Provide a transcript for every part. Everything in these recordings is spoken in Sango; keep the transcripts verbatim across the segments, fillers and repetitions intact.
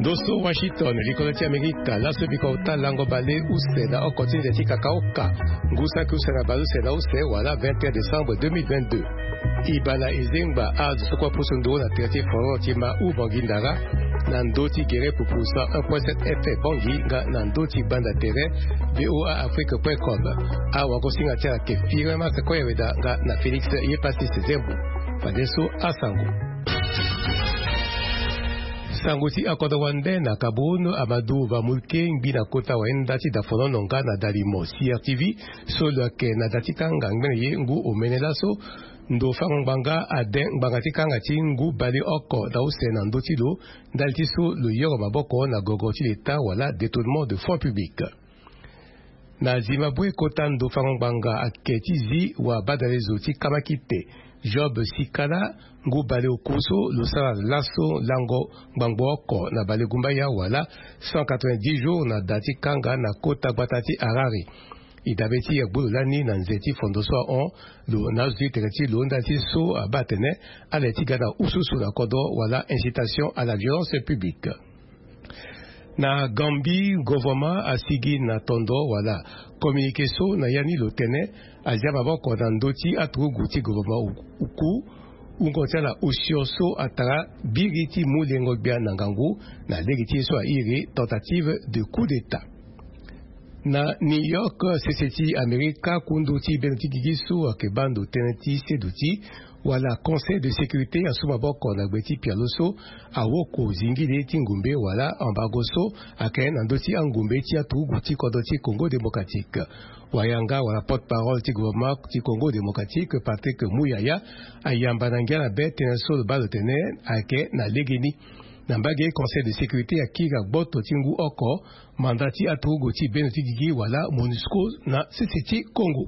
Loso Washington, likolo ti Amerika, laso biko ota lango bale use na oko ti nze ti kakaoka, ngu saki use na bale use na use, wala vingt et un décembre deux mille vingt-deux. E baa na e zengba azo so kue apusu nduru na tere ti forum ti ma u Bangui Ndara, na ndö ti gere pupu cent un point sept F M Bangui nga na ndö ti banda tere V O A Afrique point com. Awagosinga ti ala ayeke Firmin Masse Koyeweda nga na Félix Yepassis Zembo. Fadeso asango. Sango ti akodro wande na Cameroun, Amadou Bamulke ngbi na kota wayenda ti dafonono nga na dalimo C R T V so lo yeke na da ti kanga ngbene ye ngu omene laso, ndo fango ngbanga ade ngbanga ti kanga ti ngu baleoko na use na ndö ti lo, ndali ti so lo yoro maboko na gogo ti leta wala détournement de fonds publics. Na Zimbabwe, kota ndo fango ngbanga ayeke ti zi wa badalezo ti kamakite Job Sikala, ngu baleoku so lo sara laso lango ngbangbo oko na balegumbaya wala cent quatre-vingt-dix jours na da ti kanga na kota gbata ti Harare. E dabe ti agbu lo lani na nze ti fondo so ahon lo na azo ti tere ti lo ndali ti so abaa atene ala ye ti ga na ususu na kodro wala incitation à la violence publique. Na Gambie, gouvernement asigi na tondo wala communiqué so na ya ni lo tene azia maboko na ndö ti aturugu ti gouvernement oku, wungo ti ala osio so atara biri ti mu lengo gbia na ngangu na lege ti ye so airi tentative de coup d'état. Na New York, sese ti Amerika, kundu ti bendo ti gigi so ayeke baa ndo tënë ti seduti wala Conseil de sécurité asu maboko na gbe ti pialo so awoko zingili ti ngumbe wala embargo so ayeke na ndö ti angumbe ti aturugu ti kodro ti Congo démocratique. Wayanga wala porte-parole ti gouvernement ti Congo démocratique, Patrick Muyaya, ayamba na ngia na be tënë so lo baa lo tene ayeke na legeni. Na mbage, Conseil de sécurité akiri na gboto ti ngu oko mandat ti aturugu ti bendo ti gigi wala MONUSCO na sese ti Congo.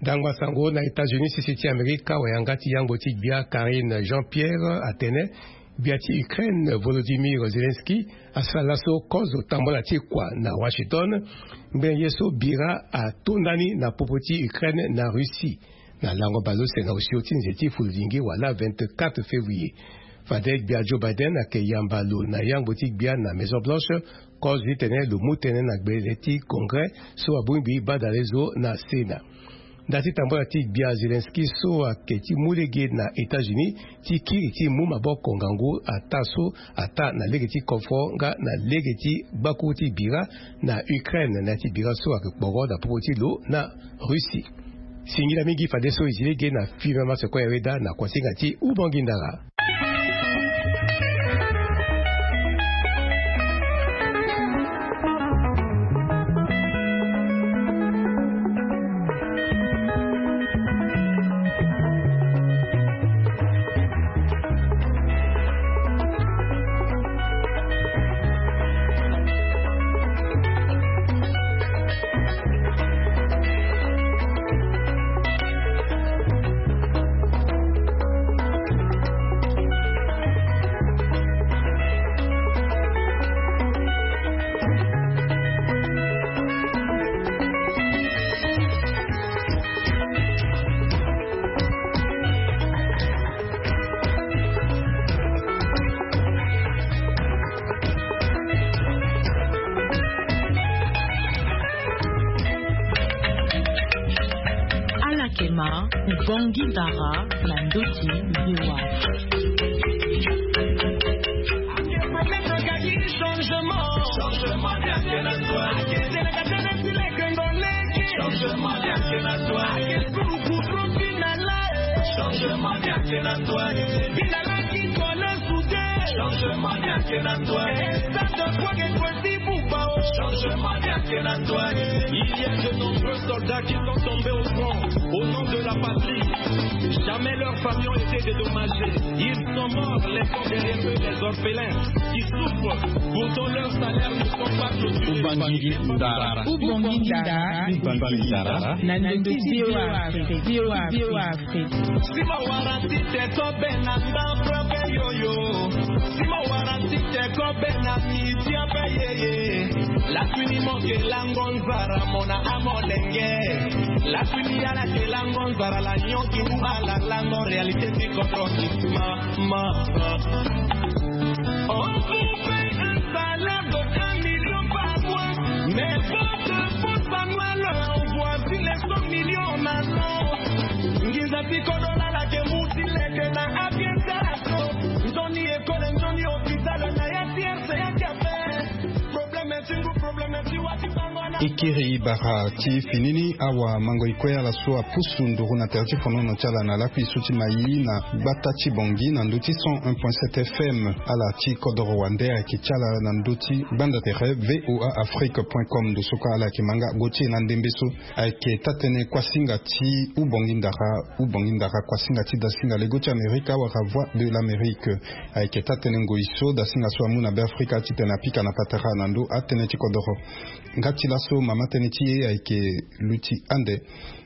Ndangba sango na États-Unis, sese ti Amerika, wayanga ti yangbo ti gbia Karine Jean-Pierre atene gbia ti Ukraine Volodymyr Zelensky asara laso kozo tambola ti kua na Washington, ngbene ye so bira atonda ni na popo ti Ukraine na Russie. Na lango baleuse na osio ti nze ti fuludingi wala vingt-quatre février. Fade gbia Joe Biden ayeke yamba lo na yangbo ti gbia na Maison Blanche, kozo ti tene lo mu tënë na gbele ti Congrès so abongbi badalezo na Sénat. Nda ti tambola ti gbia Zelensky so ayeke ti mu lege na États-Unis ti kiri ti mu maboko ngangu ataa so ataa na lege ti kofo nga na lege ti gbakuru ti bira na Ukraine na ya ti bira so ayeke kporo na popo ti lo na Russie. Singila mingi fadeso e zi lege na Firmin Masse Koyeweda na kuasinga ti Ubangui Ndara. Ala yeke ma Ubangui Ndara na ndö ti V O A. Changement. Changement. Changement. Changement. Il y a de nombreux soldats qui sont tombés au front au nom de la patrie. Jamais leurs familles ont été dédommagées. Ils sont morts, laissant derrière eux les orphelins qui souffrent, pourtant leurs salaires ne sont pas clôturés. Ubangui Ndara. Ubangui Ndara. Ubangui Ndara. Na ndö ti V O A Afrique. V O A Afrique. Si mo wara ti te ko be na ndambo be yoyo. Si mo wara ti te ko be na miti be yeye. Laswini mo ke lango nzara mo na amolenge. Laswini ala ke lango nzara la nyoki mu ala lango réalité ti koko ti ma, ma, ma. Oh, Kiri bara ti fini ni awa mango ikue ala so apusu nduru na tere ti fonono ti ala na lakui so ti mai na gbata ti bongi na ndö ti cent un point sept F M. Ala ti kodoro wande ayeke ti ala na ndö ti gbanda tere V O A Afrique point com. Ndo so kue ala yeke ma nga go ti e na ndembe so ayeke taa-tënë kuasinga ti ubongi ndara, ubongi ndara kuasinga ti dasinga lego ti Amerika wala Voix de l'Amérique. Ayeke taa-tënë ngoi so dasinga so amu na Beafrika titene apika na patara na ndö atënë ti kodoro. Nga ti laso mama tënë ti e ayeke luti ande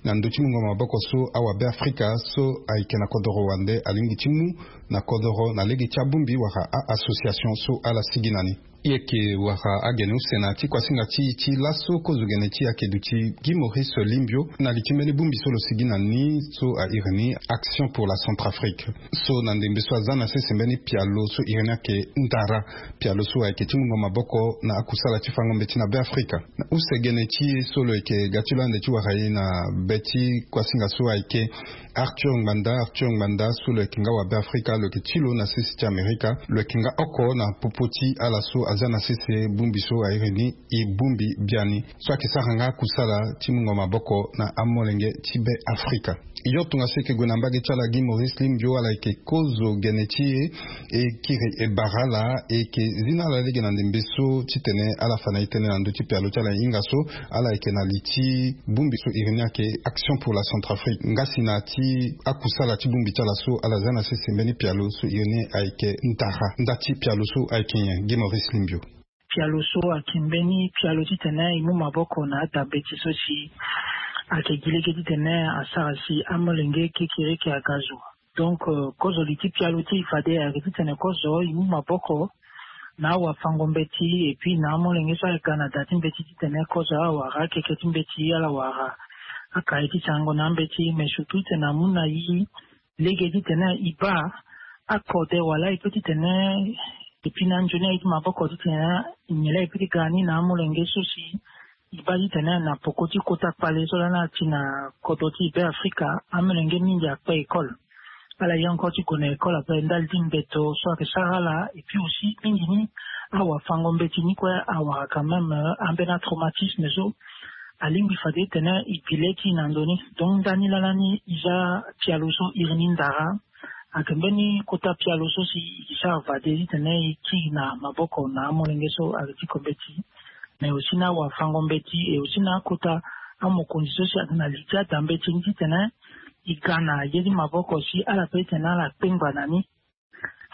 na ndö ti mungo maboko so awabe Afrika so ayeke na kodoro wande alingbi ti mu na kodoro na lege ti abongbi wala a-association so ala sigi na ni. E yeke wara agene use na ya ti kuasinga ti e ti laso kozo gene ti e ayeke duti Guy Maurice Limbio na li ti mbeni bongbi so lo sigi na ni so a iri ni Action pour la Centrafrique. So na ndembe so aza na sese mbeni pialo so iri ni ayeke ndara, pialo so ayeke ti mungo maboko na akusala ti fango mbeti na Beafrika. Na use gene ti e so lo yeke ga ti lo ande ti wara e na be ti kuasinga so ayeke Arthur Ngbanda. Arthur Ngbanda so lo yeke nga wabe Afrika, lo yeke ti lo na sese ti Amerika, lo yeke nga oko na popo ti ala so aza na sese bongbi so a iri ni e bongbi biani so ayeke sara nga akusala ti mungo maboko na amolenge ti Beafrika. Yo tongaso e yeke gue na mbage ti ala Guy Maurice Limbio, ala yeke kozo gene ti e, e kiri e bara ala, e yeke zi na ala lege na ndembe so titene ala fa na e tënë na ndö ti pialo ti ala hinga so ala yeke na li ti bongbi so iri ni ayeke Action pour la Centrafrique. Nga si na ya ti akusala ti bongbi ti ala so ala za na sese mbeni pialo so iri ni ayeke ndara, nda ti pialo so ayeke nyen, Guy Maurice Limbio? Pialo so ayeke mbeni pialo titene e mu maboko na adambeti so si ayeke gi lege titene asara si amolenge kekereke aga zo. Donc, euh, kozo li ti pialo ti e fade ayeke titene kozo e mu maboko na awafango mbeti, et puis na amolenge so ayeke ga na da ti mbeti titene kozo awara akeke ti mbeti, ala wara akaye ti sango na ambeti, mais surtout titene amu na e lege titene e baa akode wala e peut titene e pi na nzoni aye ti maboko titene nyen laa e peut ti ga ni na amolenge so si e baa titene na poko ti kota kpale so lani ati na kodro ti Beafrika, amolenge mingi akpe école. Ala ye encore ti gue na école après ndali ti mbeto so ayeke sara ala, et puis aussi mingi ni awafango mbeti ni kue awara quand même, euh, ambeni atraumatisme so alingbi fade titene e bi le ti e na ndo ni. Donc ndani laa lani e za pialo so iri ni ndara. Ayeke mbeni kota pialo so si e sara fade titene e kiri na maboko na amolenge so ayeke ti ko mbeti, mais aussi na awafango mbeti, et aussi na akota amokonzi so si ayeke na li ti ada mbeti ni titene e ga na ye ti maboko si ala peut titene ala kpengba na ni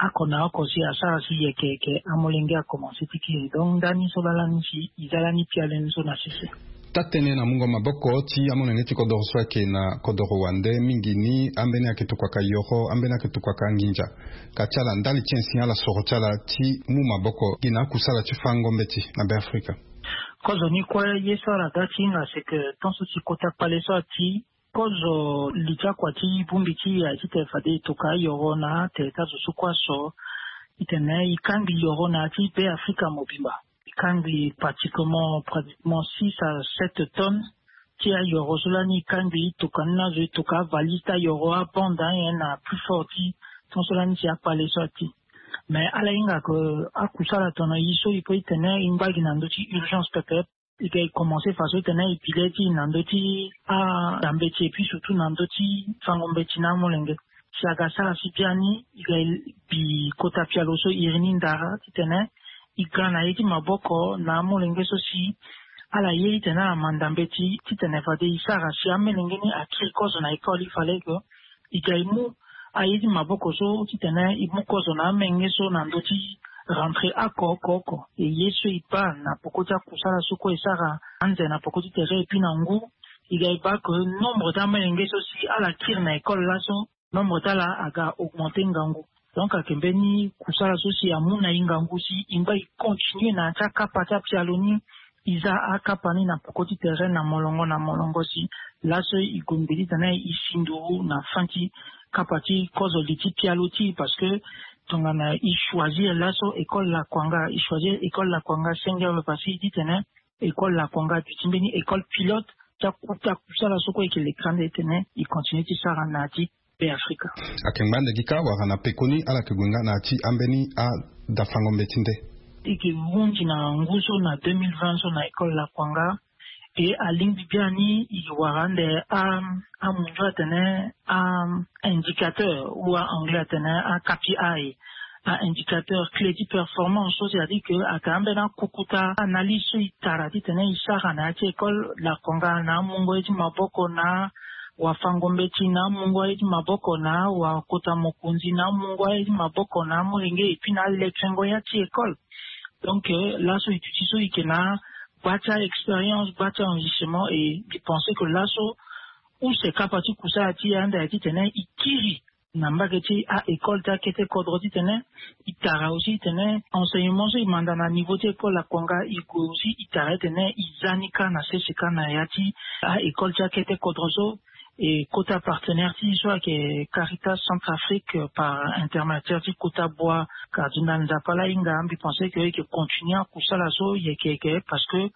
oko na oko si asara si yeke yeke amolenge akomanse ti kiri. Donc ndani so laa lani si e za lani pialo ni so na sese. Taa-tënë na mungo maboko ti amolenge ti kodoro so ayeke na kodoro wande mingi ni, ambeni ayeke tokuaka yoro, ambeni ayeke tokuaka nginza. Ka ti ala ndali ti nyen si ala soro ti ala ti mu maboko gi na akusala ti fango mbeti na Beafrika? Kozo ni kue ye so ala ga ti hinga c'est que tant so si kota kpale so ati, kozo li ti akua ti bongbi ti e aye titene fade e toka ayoro na atere ti azo so kue aso titene e kangbi yoro na ya ti Beafrika mobimba. E kangbi pratiquement, pratiquement six à sept tonnes ti ayoro so lani e kangbi, e toka ni na azo, e toka avalise ti ayoro, abande anyen na plus fort ti ton so lani si akpale so ati. Mais ala hinga ke akusala tongana e so e peut titene e ngba gi na ndö ti urgence pepe. E ga e commencer faso titene e bi le ti e na ndö ti ada mbeti et puis surtout na ndö ti fango mbeti na amolenge. Si aga sara si biani e ga e bi kota pialo so iri ni ndara titene e ga na ye ti maboko na amolenge so si ala ye titene ala manda mbeti titene fade e sara si amolenge ni akiri kozo na école, il fallait que e ga e mu aye ti maboko so titene e mu kozo na amolenge so na ndö ti rentrée oko oko oko. E ye so e baa na poko ti akusala so kue e sara anze na poko ti tere et puis na ngu, e ga e baa ke nombre ti amolenge so si ala kiri na école laso, nombre ti ala aga augmenter ngangu. Donc ayeke mbeni kusala so si amu na e ngangu si e ngba e continuer na ya ti akapa ti apialo ni. E za akapa ni na poko ti tere na molongo na molongo si laso e gue ngbe titene e si nduru na fin ti kapa ti kozo li ti pialo ti e, parce que tongana e choisir laso école lakuanga, e choisir école lakuanga senge awe, parce que e titene école lakuanga aduti mbeni école pilote ti akuta kusala so kue e yeke lekere ande titene e continuer ti sara na ya ti Beafrika. Ayeke ngba ande gi kâ wala na pekoni ala yeke gue nga na ya ti ambeni adafango mbeti nde? E yeke hunzi na ngu so na deux mille vingt so na école lakuanga. Ke alingbi biani i wara ande a amundu atene a indicateur ou a anglais atene a K P I, a indicateur clé ti performance so, c'est-à-dire ke aka ambeni akukuta analyse so i tara titene i sara na ya ti école lakonga na amungo ye ti maboko na wafango mbeti na amungo ye ti maboko na wakota mokonzi na amungo ye ti maboko na amolenge et puis na alekengo ya ti école. Donc laso i duti so i ke na gba ti a-expérience, gba ti a-enrichissement, et i pense ke laso use kapa ti kusala ti ya ande ya titene i kiri na mbage ti a-école ti akete kodro titene i tara aussi titene enseignement so i manda na niveau ti école akonga i gue aussi i tara titene i za ni kâ na sese kâ na ya ti a-école ti akete kodro so. Et kota partenaire ti so ayeke Caritas Centrafrique par intermédiaire ti kota boi Cardinal Nzapa la hinga, mbi pense ke i ke continuer akusala so yeke yeke parce que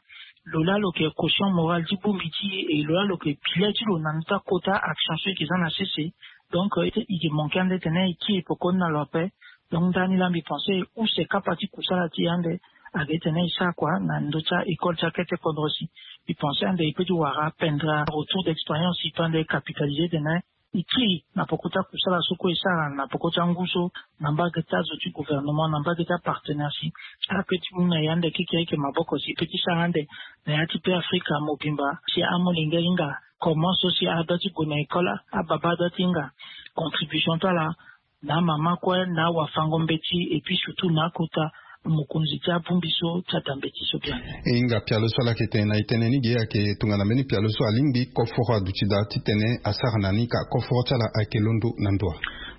lo la lo ke caution morale ti bongbi ti e, lo la lo ke bilet ti lo na ndö ti akota action so i ke za na sese. Donc i ke manquer ande tene i kiri pekoni na lo ape. Donc ndani la mbi pense use kapa ti kusala ti e ande ake tene i sara kua na ndö ti a-école ti akete kodro si. Mbi pense ande i pe ti wara pendra retour d'expérience i pe ande capitaliser tene i kiri na peko ti akusala so kue i sara na peko ti angu so na mbage ti azo ti gouvernement na mbage ti apartenaire si ape ti mu na i ande keke ayeke maboko si i pe ti sara ande na ya ti Beafrika mobimba si amolenge ahinga comment so si adua ti gue na école, ababa adua ti hinga contribution ti ala na amama kue na awafango mbeti et puis surtout na akota mokonzi ti abongbi so ti ada mbeti so biani. E hinga pialo so ala yeke tene na e tënë ni ge ayeke tongana mbeni pialo so alingbi koforo aduti daa titene asara na ni ka koforo ti ala ayeke londo na ndo wa.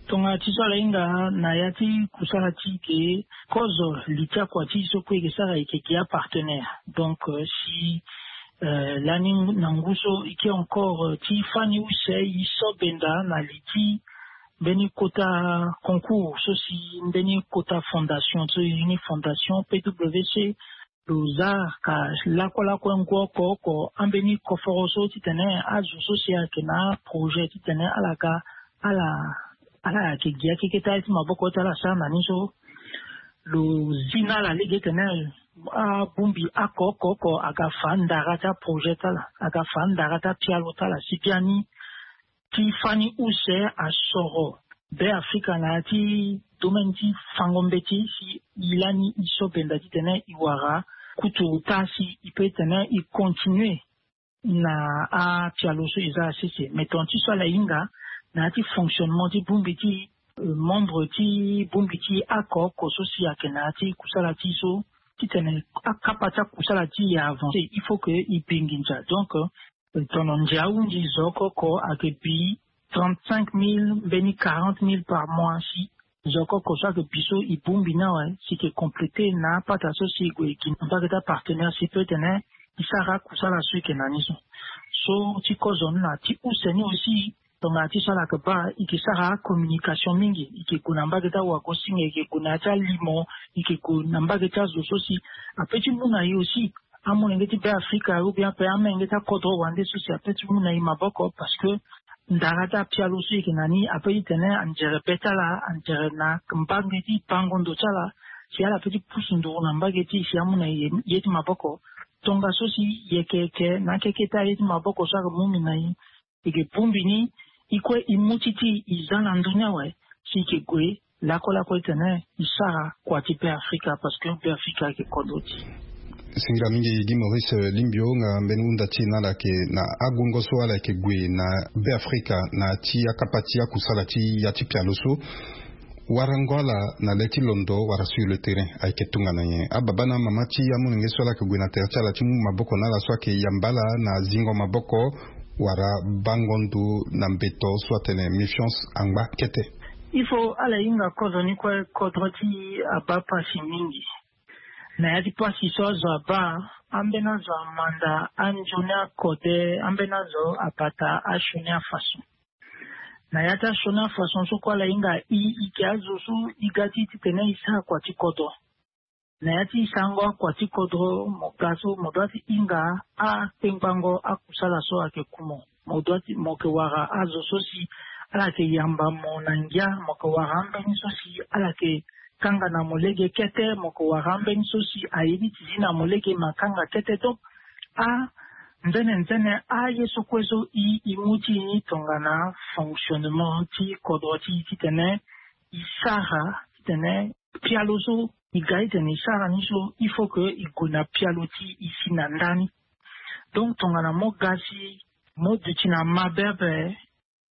Tongana ti so ala hinga na ya ti kusala ti e ge kozo li ti akua ti e so kue e ke sara e ke gi apartenaire. Donc si lani na ngu so e ke encore ti fani use e so benda na li ti mbeni kota concours so si mbeni kota fondation so e zi ni fondation P W C lo za ka lakue lakue ngu oko oko ambeni koforo so titene azo so si ayeke na aprojet titene ala ga ala ala yeke gi akeketa ye ti maboko ti ala sara na ni so lo zi na ala lege tene abongbi oko oko oko aga fa ndara ti aprojet ti ala aga fa ndara ti apialo ti ala si biani ti fani use asoro Beafrika na ya ti domaine ti fango mbeti si e lani e so benda titene e wara kutu ota si e pe tene e continuer na apialo so e za asese. Mais tongana ti so ala hinga na ya ti fonctionnement ti bongbi ti membre ti bongbi ti oko oko so si ayeke na ya ti kusala ti e so titene akapa ti akusala ti e avancer il faut que e bi nginza. Donc tono ndia ahunzi zo oko oko ayeke bi trente-cinq mille mbeni quarante mille par mois si zo oko oko so ayeke bi so e bongbi ni awe si e ke compléter na apata so si e gue e gi na mbage ti apartenaire si peut tene e sara akusala so e ke na ni so. So ti kozo ni na ti use ni aussi tongana ti so ala yeke baa e ke sara acommunication mingi e ke gue na mbage ti awagosinga e ke gue na ya ti alimo e ke gue na mbage ti azo so si ape ti mu na e aussi amolenge ti Beafrika ou bien ape amenge ti akodro wande so si ape ti mu na e maboko parce que ndara ti apialo so e yeke na ni ape ti tene anzere be ti ala anzere na mbange ti bango ndo ti ala si ala pe ti pusu nduru na mbage ti e si amu na e ye ti maboko. Tongaso si e yeke yeke na akeke ti aye ti maboko so ayeke mu mbi na e e ke bongbi ni e kue e mu ti ti e za na ndö ni awe si e ke gue lakue lakue titene e sara kua ti Beafrika parce que Beafrika ayeke kodro ti e. Singa mingi Guy Maurice Limbio nga mbeni hunda ti e na ala yeke na agungo so ala yeke gue na Beafrika na ti akapa ti akusala ti ya ti pialo so. Warango ala na le ti londo wala sur le terrain ayeke tongana nyen? Ababa na amama ti amolenge so ala yeke gue na tere ti ala ti mu maboko na ala so ayeke yamba ala na zingo maboko wala bango ndo na mbeto so atene méfiance angba kete. Il faut ala hinga kozo ni kue kodro ti e abaa pasi mingi. Na ya ti pasi so azo abaa ambeni azo amanda anzoni akode ambeni azo abata asioni afaso. Na ya ti asioni afaso so kue ala hinga e e yeke azo so e ga ti e titene e sara kua ti kodro. Na ya ti e sarango akua ti kodro mo ga so mo dua ti hinga akpengbango akusala so ayeke ku mo. Mo dua ti mo yeke wara azo so si ala yeke yamba mo na ngia mo yeke wara ambeni so si ala yeke kanga na mo lege kete mo yeke wara ambeni so si aye ni ti zi na mo lege me akanga kete. Donc a Nzene nzene aye so kue so i i mu ti i ni tongana fonctionnement ti kodro ti i titene i sara titene pialo so i ga itene i sara ni so il faut que i gue na pialo ti i si na ndani. Donc tongana mo ga si mo duti na mabe ape,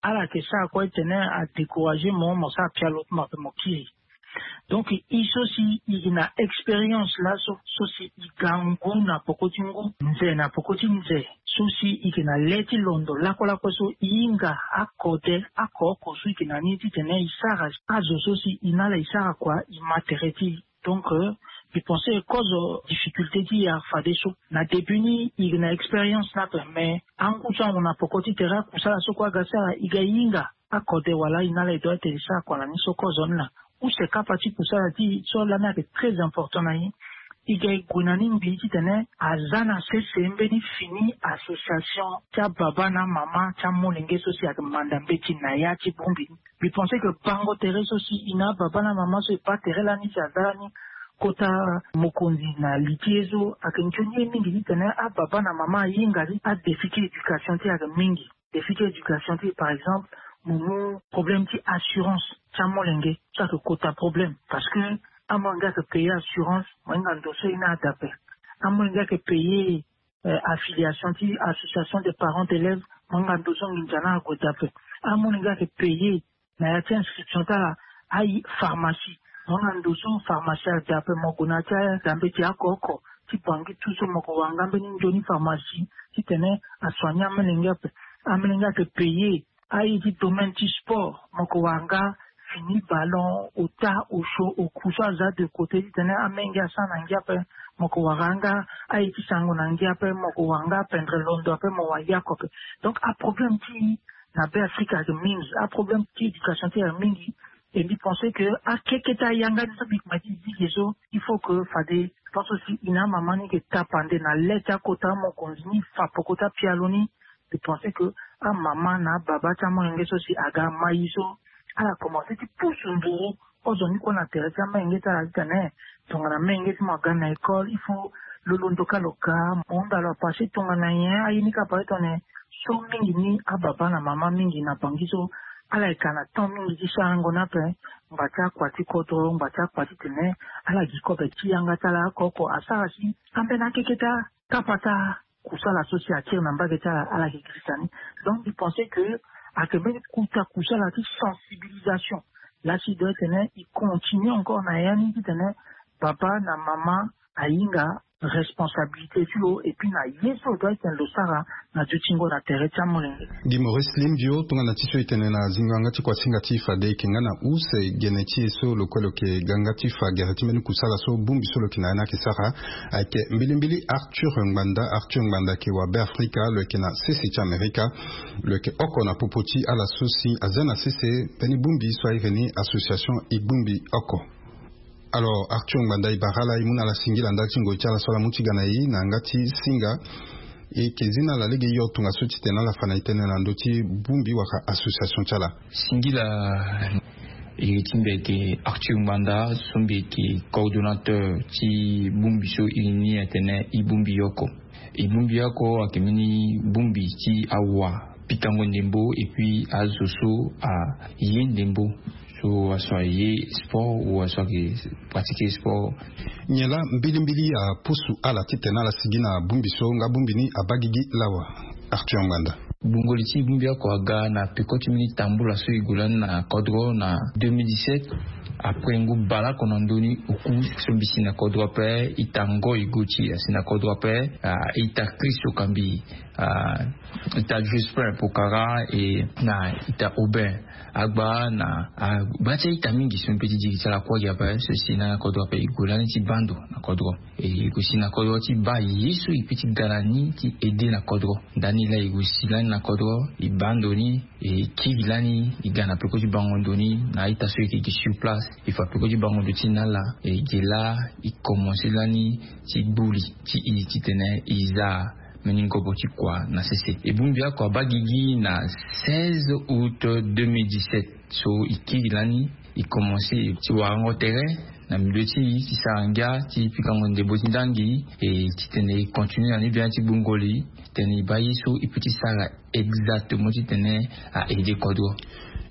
ala yeke sara kue tene a décourager mo mo sara pialo ti mo ape mo kiri. Donc i so si i gi na expérience laso so si i ga ngu na poko ti ngu, nze na poko ti nze, so si i gi na le ti londo lakolako so i hinga akode akooko so i gi na ni titene i sara azo so si i na ala i sara kua i ma tere ti i. Donc i pense kozo difficulté ti i afadeso na début ni i gi na expérience ni ape, mais angu so amu na poko ti tere akusala so kue aga sara i ga i hinga akode wala i na ala i doit ete i sara kua na ni so kozo ni laa. Use kapa ti kusala ti i so lani ayeke très important na i. I ga i gue na ni ngbii titene aza na sese mbeni fini association ti ababa na amama ti amolenge so si ayeke manda mbeti na ya ti bongbi ni. Mbi pense ke bango tere so si i na ababa na amama so e baa tere lani si aza lani kota mokonzi na li ti ye so ayeke nzoni ye mingi titene ababa na mama ahinga ti adéfi ti éducation ti e ayeke mingi. Défi ti éducation ti e par exemple, mo mu problème ti assurance ti amolenge so ayeke kota problème parce que amolenge ayeke payer assurance mo hinga ndo so e na ada ape. Amolenge ayeke payer affiliation ti association des parents d'élèves, mo hinga ndo so nginza na ague da ape. Amolenge ayeke payer na ya ti inscription ti ala, aye pharmacie, mo hinga ndo so pharmacie ada ape. Mo gue na ya ti ada mbeti akooko ti bangi tout so mo ko wara nga mbeni nzoni pharmacie titene asoigner amolenge ape. Amolenge ayeke payer aye ti domaine ti sport, mo ko wara nga fini ballon, ota, osho, oku so aza de côté titene amenge asara na ngia ape. Mo ko wara nga aye ti sango na ngia ape, mo ko wara nga apendre londo ape mo wara yako ape. Donc aproblème ti na be afrika ayeke mingi, aproblème ti éducation ti ayeke mingi. E mbi pense ke akeketa yanga ni so mbi kma ti zigi so il faut ke fade pense aussi i na amama ni ke tapande na le ti akota amokonzi ni fa poko ti apialo ni. Mbi pense ke amama na ababa ti amolenge so si aga ma i so ala komanse ti pusu nduru kozoni kue na tere ti amenge ti ala titene tongana menge ti mo aga na école il faut lo londo ka lo ga mo hunda lo apasse tongana nyen aye ni ka apasse tongana nyen. So mingi ni ababa na mama mingi na bangi so ala yeke ka na temps mingi ti sarango ni ape. Ngba ti akua ti kodro ngba ti akua titene ala gi kobe ti yanga ti ala oko oko asara si ambeni akeketa kapa ti akusala so si akiri na mbage ti ala ala yeke girisa ni. Donc mbi pense ke ayeke mbeni kuta kusala ti sensibilisation. Lasi e doit tene e continue encore na ya ni titene baba na mama ahinga responsabilité ti lo et puis na ye so lo doit tene lo sara na dutingo na tere ti amolenge. Guy maurice limbio tongana ti so e tene na zingo yanga ti kuasinga ti fade e yeke nga na use gene ti e so lo kue lo yeke ga nga ti fa gere ti mbeni kusala so bongbi so lo yeke na ya ni ayeke sara. Ayeke mbilimbili arthur ngbanda arthur ngbanda ayeke wa be afrika lo yeke na sese ti amerika. Lo yeke oko na popo ti ala so si aza na sese mbeni bongbi so airi ni association e bongbi oko. Alors arthur ngbanda e bara ala e mu na ala singila ndali ti ngoi ti ala so ala mu ti ga na e na yanga ti singa. E yeke zi na ala lege yo tongaso titene ala fa na e tënë na ndö ti bongbi wala association ti ala. Singila. Iri ti mbi ayeke arthur ngbanda so mbi yeke coordonnateur ti bongbi so iri ni atene e bongbi oko. E bongbi oko ayeke mbeni bongbi ti awa pikango ndembo et puis azo so aye ndembo so aso aye sport ou aso ayeke pratiquer sport. Nyen laa mbilimbili apusu ala titene ala sigi na bongbi so nga bongbi ni abaa gigi lawa? Arthur ngbanda. Bongoli ti bongbi oko aga na peko ti mbeni tambula so e gue lani na kodro na deux mille dix-sept. Après ngu baleoko na ndö ni oku so mbi si na kodro ape ita ngoi goti asi na kodro ape. Ita kristo kambi ita jospin pokara e na ita aubin agba na agba ti aita mingi so mbi pe ti diri ti ala kuâ gi ape so e si na kodro ape e gue lani ti baa ndo na kodro. E gue si na kodro ti baa ye so e pe ti ga na ni ti aide na kodro. Ndani laa e gue si lani na kodro e baa ndo ni e kiri lani e ga na peko ti bango ndo ni na aita so e yeke gi sur place. E fa peko ti bango ndo ti na ala e ge laa e komanse lani ti gbuli ti e titene e za mbeni ngobo ti kua na sese. E bongbi oko abaa gigi na seize août deux mille dix-sept so e kiri lani e komanse ti warango tere. na milieu ti e ti sara ngia ti pikango ndembo ti ndangi. E titene e continue na ni bien ti gbungo li titene e baa ye so e peut ti sara exactement titene a aider kodro.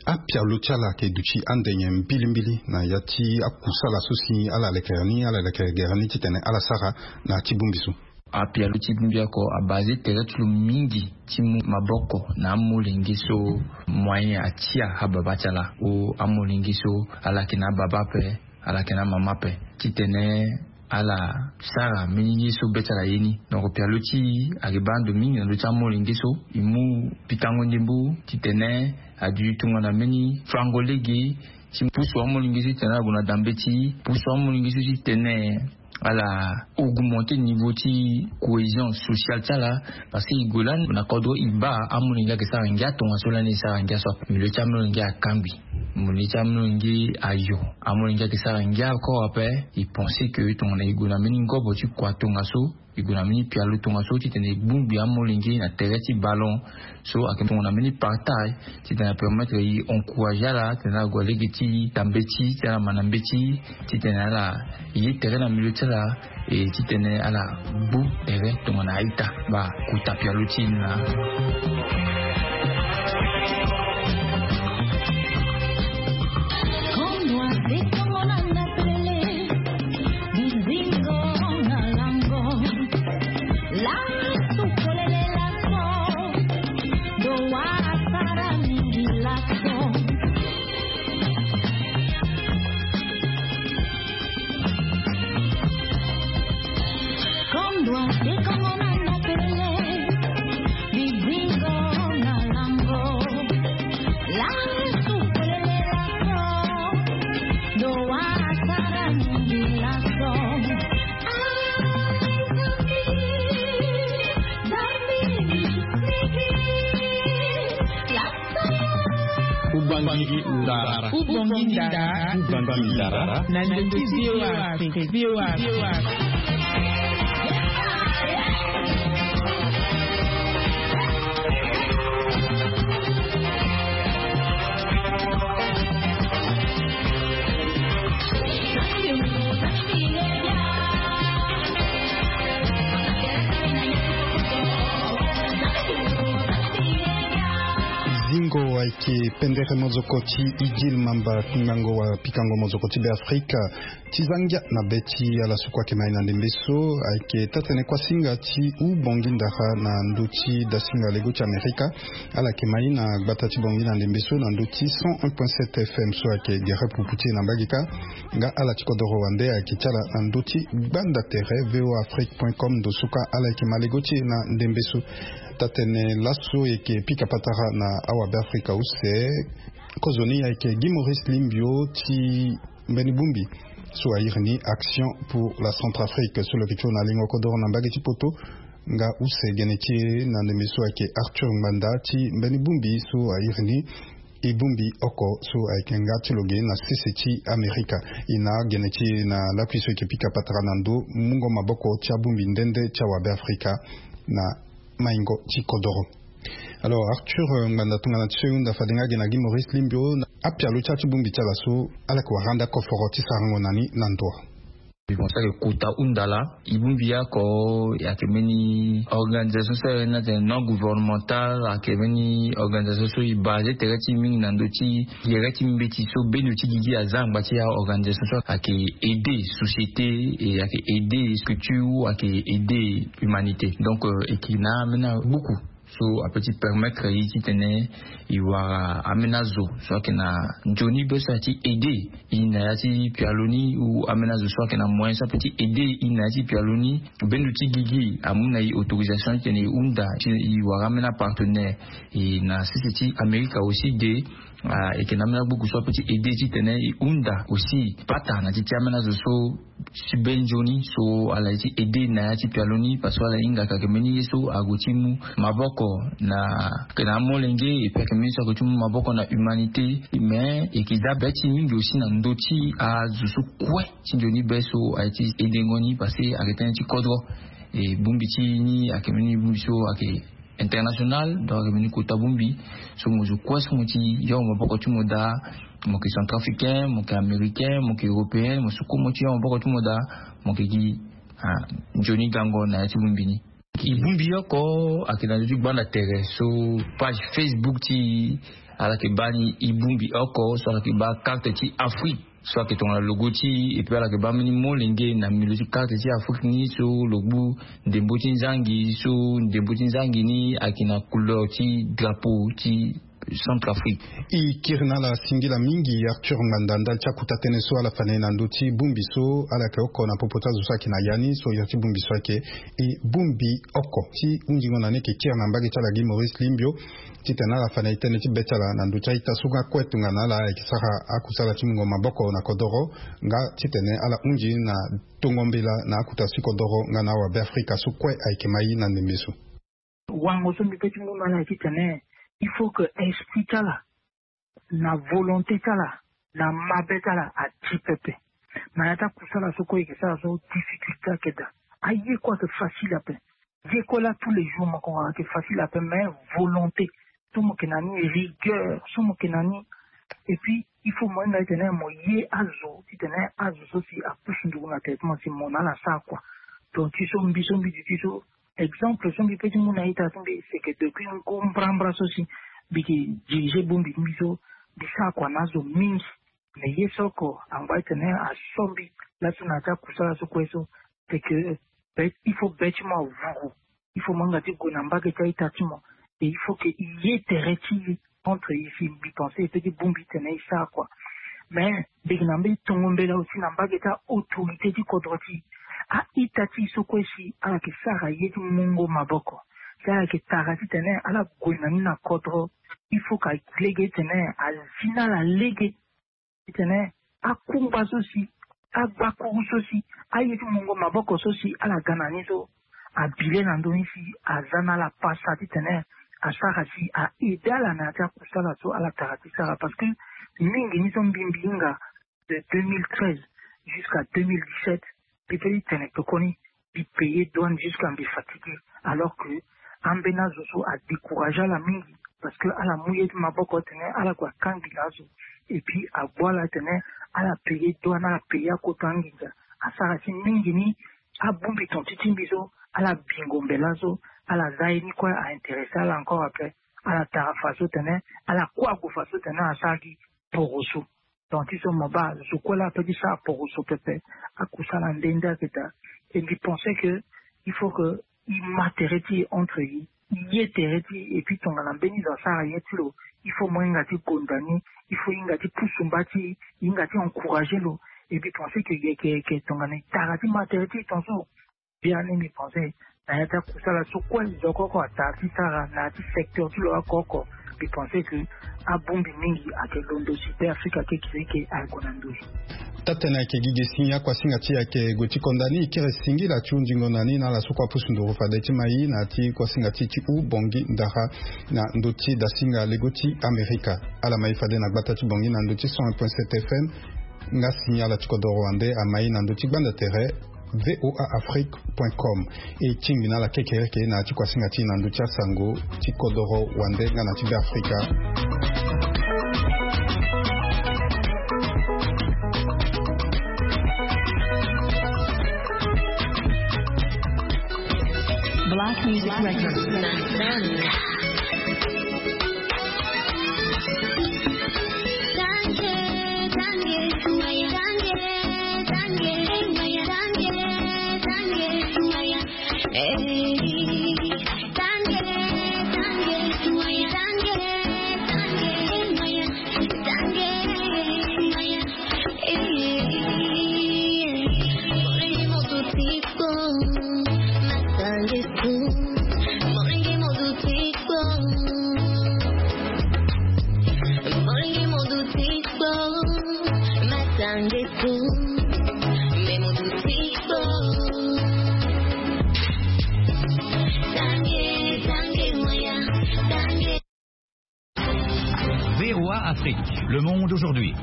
Apialo ti ala ayeke duti ande nyen mbilimbili na ya ti akusala so si ala lekere ni ala lekere gere ni titene ala sara na ya ti bongbi so? Apialo ti bongbi oko abase tere ti lo mingi ti mu maboko na amolenge so moyen atia ababa ti ala o amolenge so ala yeke na ababa ape, ala yeke na amama ape, titene ala sara mbeni ye so be ti ala aye ni. Donc pialo ti e ayeke baa ndo mingi na ndö ti amolenge so e mu pikango ndembo titene adu tongana mbeni fango lege ti pusu amolenge so titene ala gue na dambe ti e, pusu amolenge so titene ala augmenter niveau ti cohésion sociale ti ala. Parce que e gue lani na kodro e baa amolenge ayeke sara ngia tongaso lani e sara ngia so ape, milieu ti amolenge akangbi, milieu ti amolenge ayo, amolenge ayeke sara ngia encore ape. E pense que tongana e gue na mbeni ngobo ti kua tongaso, e gue na mbeni pialo tongaso titene e gbungbi amolenge na tere ti ballon so ayeke tongana mbeni partage titene apermettre e encourager ala titene ala gue lege ti dambe ti e titene ala ma na mbeti titene ala ye tere na milieu ti ala, e titene ala gbu tere tongana a-ita. Baa kota pialo ti e ni laa. Kubangi ndara. Kubangi ndara. Kubangi ndara. Na ndö ti V O A Afrique. V O A Afrique. Zingo ayeke pendere mozoko ti Idil Mamba, ngango wa pikango mozoko ti Be Afrika. Ti za ngia na be ti ala so kue ayeke mai na ndembe so ayeke taa-tene kuasinga ti u bongi ndara na ndö ti dasinga lego ti Amerika. Ala yeke mai na gbata ti bongi na ndembe so na ndö ti cent un point sept F M so ayeke gere pupu ti e na mbage kâ. Nga ala ti kodoro wande ayeke ti ala na ndö ti gbanda tere V O A Afrique point com ndo so kâ ala yeke ma lego ti e na ndembe so. Taa-tene laso e yeke pika patara na awabe Afrika use. Kozoni ayeke Guy Maurice Limbio ti mbeni bongbi so a iri ni Action pour la Centrafrique so lo yeke ti hon na lingo kodoro na mbage ti poto. Nga use gene ti e na ndembe so ayeke Arthur Ngbanda ti mbeni bongbi so a iri ni e bongbi oko so ayeke nga ti lo ge na sese ti Amerika. E na gene ti e na lakui so e yeke pika patara na ndo mungo maboko ti abongbi nde nde ti awabe Afrika na maingo ti kodoro. Alors Arthur, euh, Ngbanda, tongana ti so e hunda fade nga ge na Guy Maurice Limbio, apialo ti ala ti bongbi ti ala so ala yeke wara anda koforo ti sarango na ni na ndo? Bon, so ayeke kota hunda laa, e bongbi oko ayeke mbeni organisation so ayeke na tene non gouvernemental, ayeke mbeni organisation so e base tere ti e mingi na ndö ti gere ti mbeti so bendo ti gigi aza na ngba ti aorganisation so ayeke aider société, e ayeke aider structure, ayeke aider humanité. Donc euh, e yeke na ambeni agbuku so apeut ti permettre e titene e wara ambeni azo so ayeke na nzoni be so aye ti aider e na ya ti pialo ni, ou ambeni azo so ayeke na moyen so apeut ti aider e na ya ti pialo ni. Bendo ti gigi amu na e autorisation titene e hunda ti e wara ambeni apartenaire. E na sese ti Amerika aussi de, ah, e yeke na ambeni agbuku so apeut ti aider titene e hunda aussi pata na ti ti ambeni azo so ti be nzoni so ala ye ti aider na ya ti pialo ni, parce que ala hinga ayeke mbeni ye so ague ti mu maboko na, ayeke na amolenge, et puis ayeke mbeni so ague ti mu maboko na humanité. Mais e yeke za be ti e mingi aussi na ndö ti azo so kue ti nzoni be so aye ti aidengo ni, parce que ayeke tënë ti kodro. E bongbi ti e ni ayeke mbeni bongbi so ayeke international, donc ayeke mbeni kota bongbi so mo zo kue so mo ti yongo maboko ti mo daa. Mo yeke centrafricain, mo yeke américain, mo yeke européen, mo suku mo ti yo maboko ti mo daa. Mo yeke gi ah, nzoni gango na ya ti bongbi ni. E bongbi oko ayeke na ndö ti gbanda tere so page Facebook ti e, ala yeke baa ni e bongbi oko so ala yeke baa carte ti Afrique so ayeke tongana logo ti e, epui ala yeke baa mbeni molenge na milieu ti carte ti Afrique ni so lo gbu ndembo ti nzangi so ndembo ti nzangi ni ayeke na couleur ti drapeau ti Centrafrique. E kiri na ala singila mingi Arthur Ngbanda ndali ti akota tënë so ala fa na e na ndö ti bongbi so ala yeke oko na popo ti azo so ayeke na ya ni so iri ti bongbi so ayeke e bongbi oko ti hunzingo na ni. E yeke kiri na mbage ti ala gi Maurice Limbio titene ala fa na e tënë ti be ti ala na ndö ti a-ita so nga kue tongana ala ayeke sara akusala ti mungo maboko na kodoro nga titene ala hunzi na tongo mbela na akota ti kodoro nga na awabe Afrika so kue ayeke mai na ndembe so. Wango so mbi pe ti mu na ala titene il faut que esprit ti ala na volonté ti ala na mabe ti ala ati pepe. Na ya ti akusala so kue e yeke sara so difficulté ayeke daa. Aye kue ayeke facile ape. Ye kue laa tous les jours mo yeke wara ayeke facile ape mais volonté so mo yeke na ni, rigueur so mo yeke na ni. Et puis il faut mo hinga titene mo ye azo titene azo so si apusu nduru na tere ti mo si mo na ala sara kua. Donc ti so mbi so mbi duti so exemple so mbi pe ti mu na ita ti mbi c'est que depuis ngu mbrambra so si mbi yeke dirige bongbi ti mbi so mbi sara kua na azo mingi. Mais ye so oko angba titene aso mbi laso na ya ti akusala so kue so c'est que il faut be ti mo avuru. Il faut mo hinga ti gue na mbage ti a-ita ti mo. Et il faut que e ye tere ti e entre e si mbi pense e pe ti bongbi titene e sara kua. Mais mbi yeke na mbeni tongo mbela aussi na mbage ti autorité ti kodro ti e. A-ita ti e so kue si ala yeke sara ye ti mungo maboko si ala yeke tara titene ala gue na ni na kodro. Il faut ka lege titene azi na ala lege titene akungba so si agbakuru so si aye ti mungo maboko so si ala ga na ni so abile na ndö ni si aza na ala pasa titene asara si a aide ala na ya ti akusala so ala tara ti sara parce que mingi ni so mbi mbi hinga de deux mille treize jusqu'à deux mille dix-sept. Mbi pe ti tene tokoni mbi paye douane jusqu'à mbi fatigué. Alors que ambeni azo so adécourage ala mingi parce que ala mu ye ti maboko tene ala gue akangbi na azo. Et puis agbu ala tene ala paye douane ala paye akota anginza. Asara si mingi ni abongbi ton ti ti mbi so ala bingo mbela so ala za ye ni kue a intéressé ala encore après. Ala tara faso tene ala kue ague faso tene asara gi poroso. Donc ti so mo baa zo kue laa ape ti sara poroso pepe. Akusala nde nde ayeke daa. Et mbi pense que il faut que e ma tere ti e entre e, e ye tere ti e. Et puis tongana mbeni zo asara ye ti lo il faut mo hinga ti gonda ni. Il faut e hinga ti pusu mba ti e, e hinga ti encourager lo. Et mbi pense que e yeke yeke tongana e tara ti ma tere ti e tongaso. Biani mbi pense na ya ti akusala so kue zo koko atara ti sara na ya ti secteur ti lo oko oko. Mbi pense que abongbi mingi ayeke londo si pe afrika kekireke aye gue na ndö. Taa-tënë ayeke gi ge si akuasinga ti e ayeke gue ti konda ni. E kiri singila ti hunzingo na ni na ala so kue apusu nduru fade ti mai na ya ti kuasinga ti e ti hou bongi ndara na ndö ti dasinga lego ti amerika. Ala mai fade na gbata ti bongi na ndö ti cent un point sept F M. Nga signal ti kodoro wande amai na ndö ti gbanda tere voa afrique point com. E tingbi na ala kekereke na ya ti kuasinga ti e na ndö ti asango ti kodoro wande nga na ti be afrika. Black Music Records. V O A Afrique, le monde aujourd'hui.